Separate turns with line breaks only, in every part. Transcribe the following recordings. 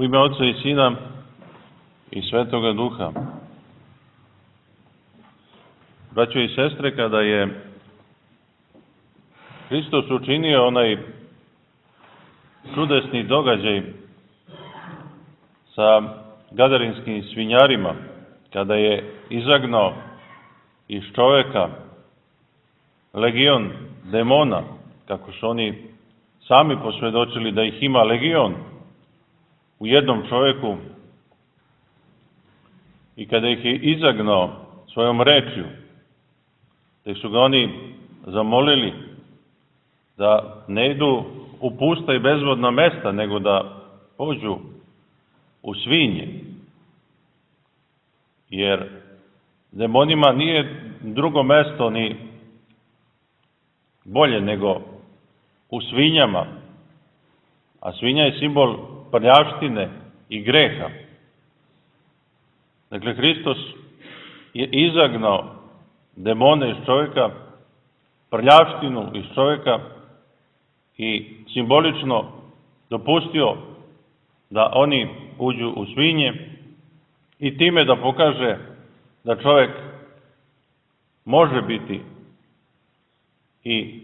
U ime Oca i Sina i Svetoga Duha. Braćo i sestre, kada je Hristos učinio onaj čudesni događaj sa gadarinskim svinjarima, kada je izagnao iz čoveka legion demona, kako su oni sami posvjedočili da ih ima legion u jednom čovjeku, i kada ih je izagnao svojom rečju, da su ga oni zamolili da ne idu u pusta i bezvodna mesta, nego da pođu u svinje. Jer demonima nije drugo mesto ni bolje nego u svinjama, a svinja je simbol prljavštine i greha. Dakle, Hristos je izagnao demone iz čovjeka, prljavštinu iz čovjeka i simbolično dopustio da oni uđu u svinje i time da pokaže da čovjek može biti i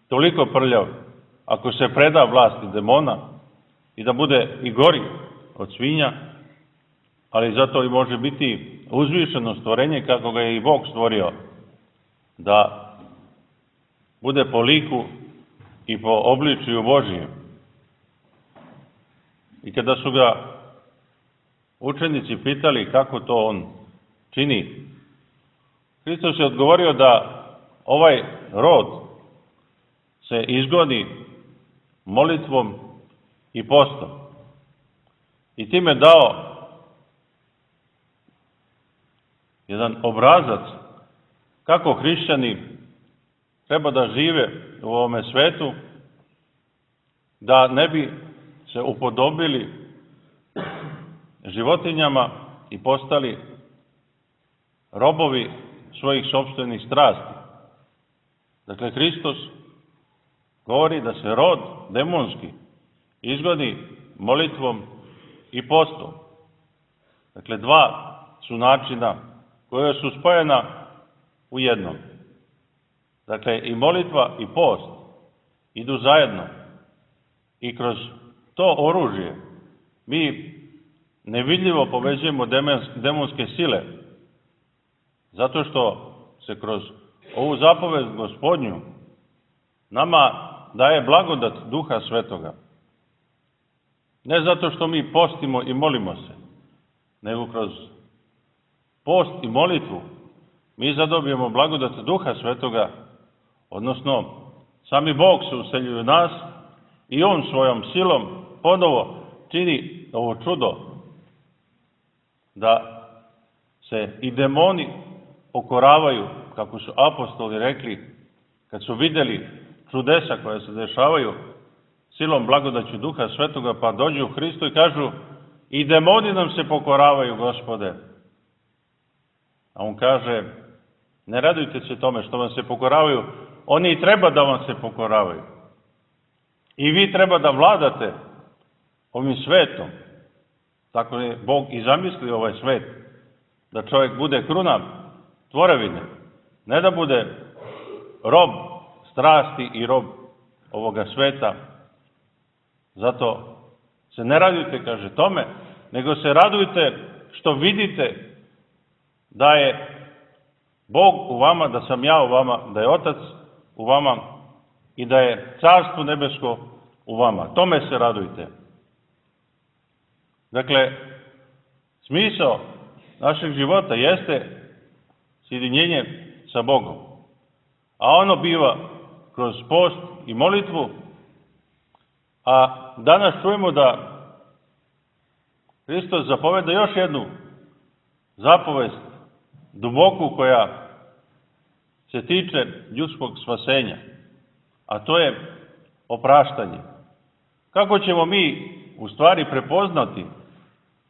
toliko prljav ako se preda vlasti demona i da bude i gori od svinja, ali zato i može biti uzvišeno stvorenje kako ga je i Bog stvorio, da bude po liku i po obličju Božijem. I kada su ga učenici pitali kako to on čini, Hristos je odgovorio da ovaj rod se izgoni molitvom i postom. I time dao jedan obrazac kako hrišćani treba da žive u ovome svetu, da ne bi se upodobili životinjama i postali robovi svojih sopstvenih strasti. Dakle, Hristos govori da se rod demonski izgoni molitvom i postom. Dakle, dva su načina koja su spojena u jednom. Dakle, i molitva i post idu zajedno. I kroz to oružje mi nevidljivo povećujemo demonske sile, zato što se kroz ovu zapovest Gospodnju nama daje blagodat Duha Svetoga. Ne zato što mi postimo i molimo se, nego kroz post i molitvu mi zadobijemo blagodat Duha Svetoga, odnosno sami Bog se useljuje u nas i On svojom silom ponovo čini ovo čudo da se i demoni pokoravaju, kako su apostoli rekli, kad su vidjeli čudesa koja se dešavaju silom blagodaću Duha Svetoga, pa dođu u Hristu i kažu: i demoni nam se pokoravaju, Gospode. A on kaže: ne radujte se tome što vam se pokoravaju, oni i treba da vam se pokoravaju. I vi treba da vladate ovim svetom. Tako je Bog i zamislio ovaj svet, da čovjek bude kruna tvorevine, ne da bude rob strasti i rob ovoga sveta. Zato se ne radujte, kaže, tome, nego se radujte što vidite da je Bog u vama, da sam ja u vama, da je Otac u vama i da je Carstvo nebesko u vama. Tome se radujte. Dakle, smisao našeg života jeste sjedinjenje sa Bogom. A ono biva kroz post i molitvu. A danas čujemo da Hristos zapoveda još jednu zapovest duboku koja se tiče ljudskog spasenja, a to je opraštanje. Kako ćemo mi u stvari prepoznati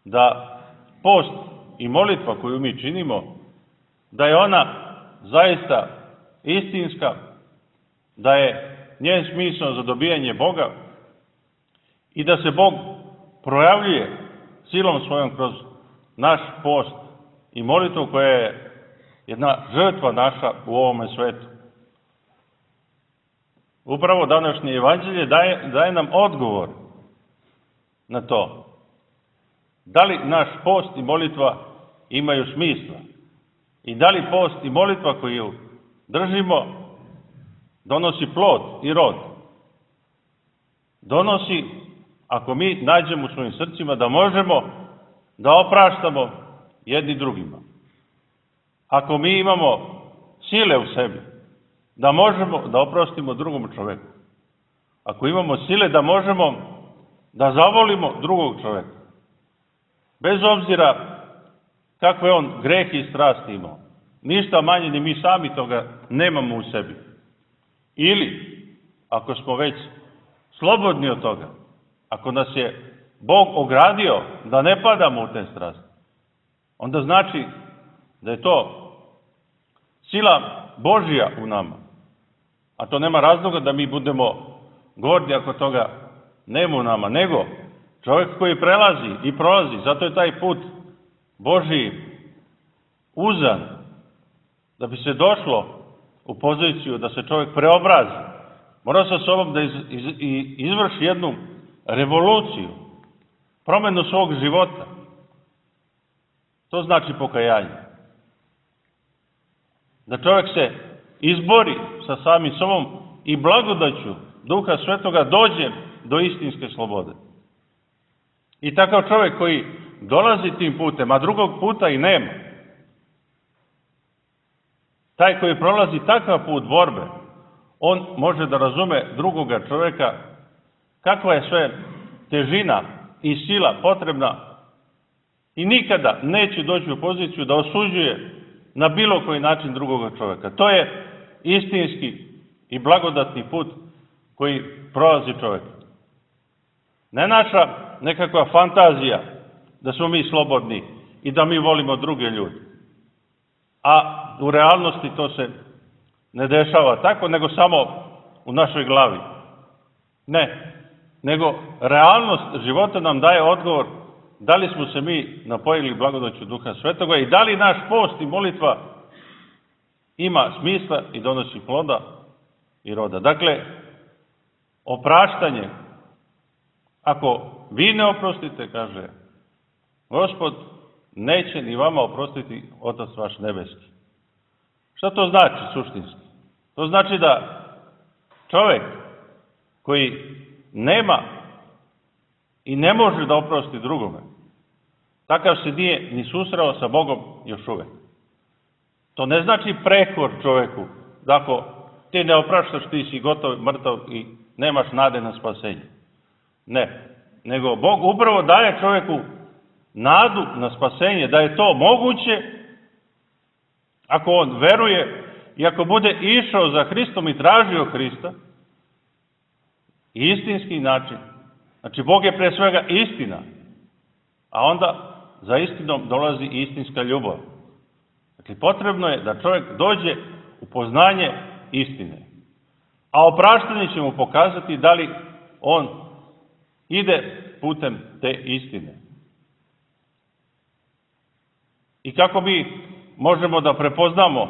da post i molitva koju mi činimo, da je ona zaista istinska, da je njen smisao za dobijanje Boga i da se Bog projavljuje silom svojom kroz naš post i molitvu koja je jedna žrtva naša u ovome svetu. Upravo današnje evanđelje daje nam odgovor na to. Da li naš post i molitva imaju smisla? I da li post i molitva koju držimo donosi plod i rod? Donosi, ako mi nađemo u svojim srcima da možemo da opraštamo jedni drugima. Ako mi imamo sile u sebi da možemo da oprostimo drugom čoveku. Ako imamo sile da možemo da zavolimo drugog čoveka. Bez obzira kakve on grehe i strasti imao. Ništa manje ni mi sami toga nemamo u sebi. Ili, ako smo već slobodni od toga, ako nas je Bog ogradio da ne padamo u te strasti, onda znači da je to sila Božja u nama. A to nema razloga da mi budemo gordi ako toga nema u nama, nego čovjek koji prelazi i prolazi, zato je taj put Božji uzan, da bi se došlo u poziciju da se čovjek preobrazi, mora sa sobom da izvrši jednu revoluciju, promjenu svog života. To znači pokajanje. Da čovjek se izbori sa samim sobom i blagodaću Duha Svetoga dođe do istinske slobode. I takav čovjek koji dolazi tim putem, a drugog puta i nema, taj koji prolazi takav put borbe, on može da razume drugoga čovjeka kakva je sve težina i sila potrebna i nikada neće doći u poziciju da osuđuje na bilo koji način drugoga čovjeka. To je istinski i blagodatni put koji prolazi čovjek. Ne naša nekakva fantazija da smo mi slobodni i da mi volimo druge ljude. A u realnosti to se ne dešava tako, nego samo u našoj glavi. Ne, nego realnost života nam daje odgovor da li smo se mi napojili blagodaću Duha Svetoga i da li naš post i molitva ima smisla i donosi ploda i roda. Dakle, opraštanje, ako vi ne oprostite, kaže Gospod, neće ni vama oprostiti Otac vaš nebeski. Šta to znači suštinski? To znači da čovjek koji nema i ne može da oprosti drugome, takav se nije ni susreo sa Bogom još uvek. To ne znači prekor čovjeku, da ako ti ne opraštaš, ti si gotov, mrtav i nemaš nade na spasenje. Ne, nego Bog upravo daje čovjeku nadu na spasenje, da je to moguće ako on veruje i ako bude išao za Hristom i tražio Hrista, istinski način. Znači, Bog je pre svega istina, a onda za istinom dolazi istinska ljubav. Dakle, potrebno je da čovjek dođe u poznanje istine. A opraštanje će mu pokazati da li on ide putem te istine. I kako mi možemo da prepoznamo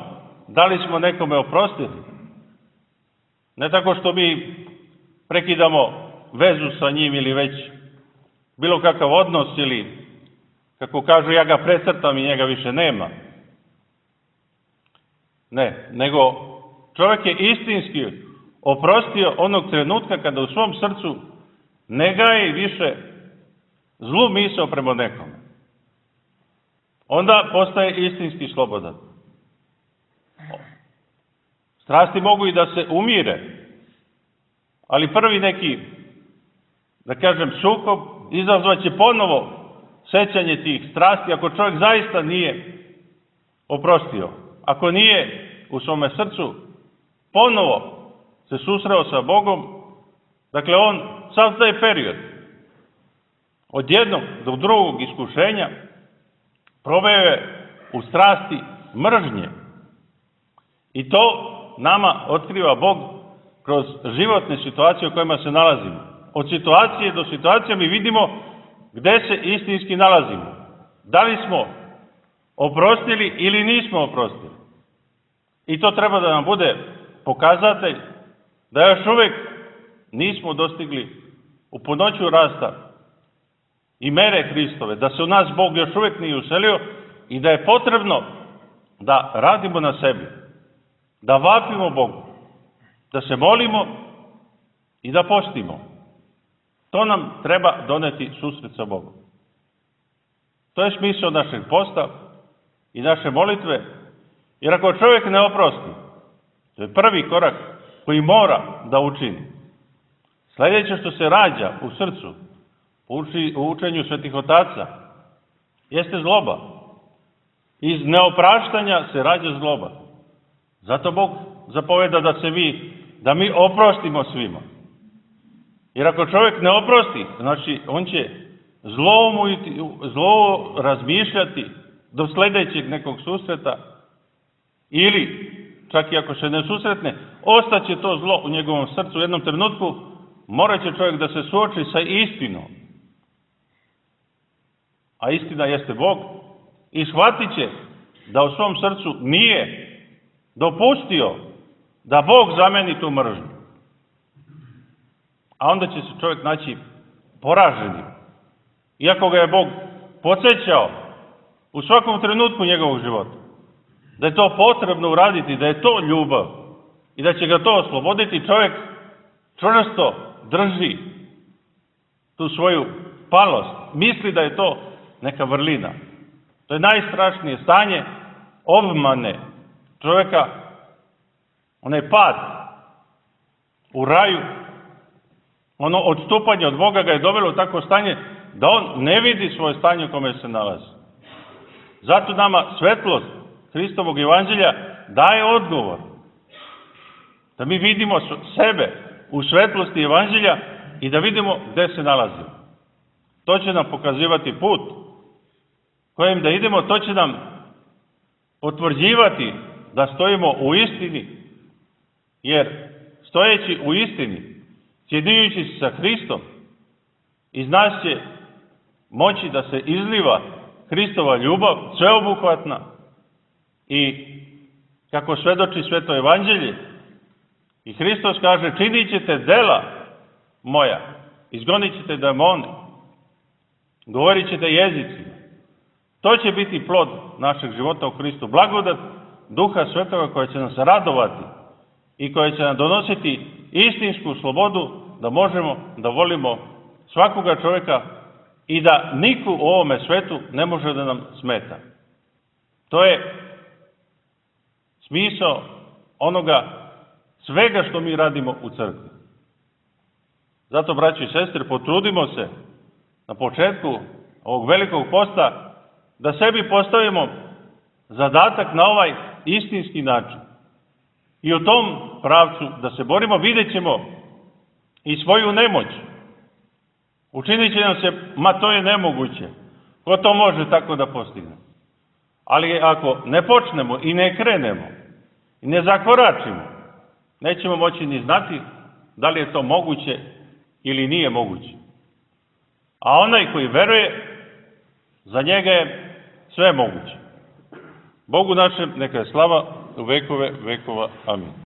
da li smo nekome oprostili? Ne tako što mi prekidamo vezu sa njim ili već bilo kakav odnos ili, kako kažu, ja ga precrtam i njega više nema. Ne, nego čovjek je istinski oprostio onog trenutka kada u svom srcu ne gaji više zlu misao prema nekome. Onda postaje istinski slobodan. Strasti mogu i da se umire, ali prvi neki, da kažem, sukob izazvaće ponovo sećanje tih strasti ako čovjek zaista nije oprostio. Ako nije u svome srcu ponovo se susreo sa Bogom, dakle on sav taj period od jednog do drugog iskušenja proveo je u strasti mržnje. I to nama otkriva Bog kroz životne situacije u kojima se nalazimo. Od situacije do situacije mi vidimo gde se istinski nalazimo. Da li smo oprostili ili nismo oprostili. I to treba da nam bude pokazatelj da još uvijek nismo dostigli u punoću rasta i mere Hristove, da se u nas Bog još uvijek nije uselio i da je potrebno da radimo na sebi, da vapimo Bogu, da se molimo i da postimo. To nam treba doneti susret sa Bogom. To je smisao našeg posta i naše molitve, jer ako čovjek ne oprosti, to je prvi korak koji mora da učini. Sljedeće što se rađa u srcu, u učenju svetih otaca, jeste zloba. Iz neopraštanja se rađa zloba. Zato Bog zapoveda da mi oprostimo svima. Jer ako čovjek ne oprosti, znači on će zlo razmišljati do sljedećeg nekog susreta, ili čak i ako se ne susretne, ostaće to zlo u njegovom srcu. U jednom trenutku morat će čovjek da se suoči sa istinom. A istina jeste Bog. I shvatit će da u svom srcu nije dopustio da Bog zameni tu mržnju. A onda će se čovjek naći poraženim. Iako ga je Bog podsjećao u svakom trenutku njegovog života, da je to potrebno uraditi, da je to ljubav i da će ga to osloboditi, čovjek čvrsto drži tu svoju palost. Misli da je to neka vrlina. To je najstrašnije stanje obmane čovjeka, onaj pad u raju, ono odstupanje od Boga ga je dovelo u takvo stanje da on ne vidi svoje stanje u kome se nalazi. Zato nama svetlost Hristovog evanđelja daje odgovor. Da mi vidimo sebe u svetlosti evanđelja i da vidimo gde se nalazimo. To će nam pokazivati put kojim da idemo, to će nam potvrđivati da stojimo u istini, jer stojeći u istini, sjedinjujući se sa Hristom, iz nas će moći da se izliva Hristova ljubav, sveobuhvatna, i kako svedoči sveto evanđelje, i Hristos kaže: činit ćete dela moja, izgonit ćete demone, govorit ćete jezicima. To će biti plod našeg života u Hristu, blagodat Duha Svetoga koja će nas radovati i koja će nam donositi istinsku slobodu da možemo da volimo svakoga čovjeka i da niko u ovome svetu ne može da nam smeta. To je smisao onoga svega što mi radimo u crkvi. Zato, braći i sestre, potrudimo se na početku ovog velikog posta da sebi postavimo zadatak na ovaj istinski način. I u tom pravcu da se borimo, vidjet ćemo i svoju nemoć. Učinit će nam se, to je nemoguće. Ko to može tako da postigne? Ali ako ne počnemo i ne krenemo i ne zakoračimo, nećemo moći ni znati da li je to moguće ili nije moguće. A onaj koji veruje, za njega je sve moguće. Bogu našem neka je slava u vekove vekova. Amin.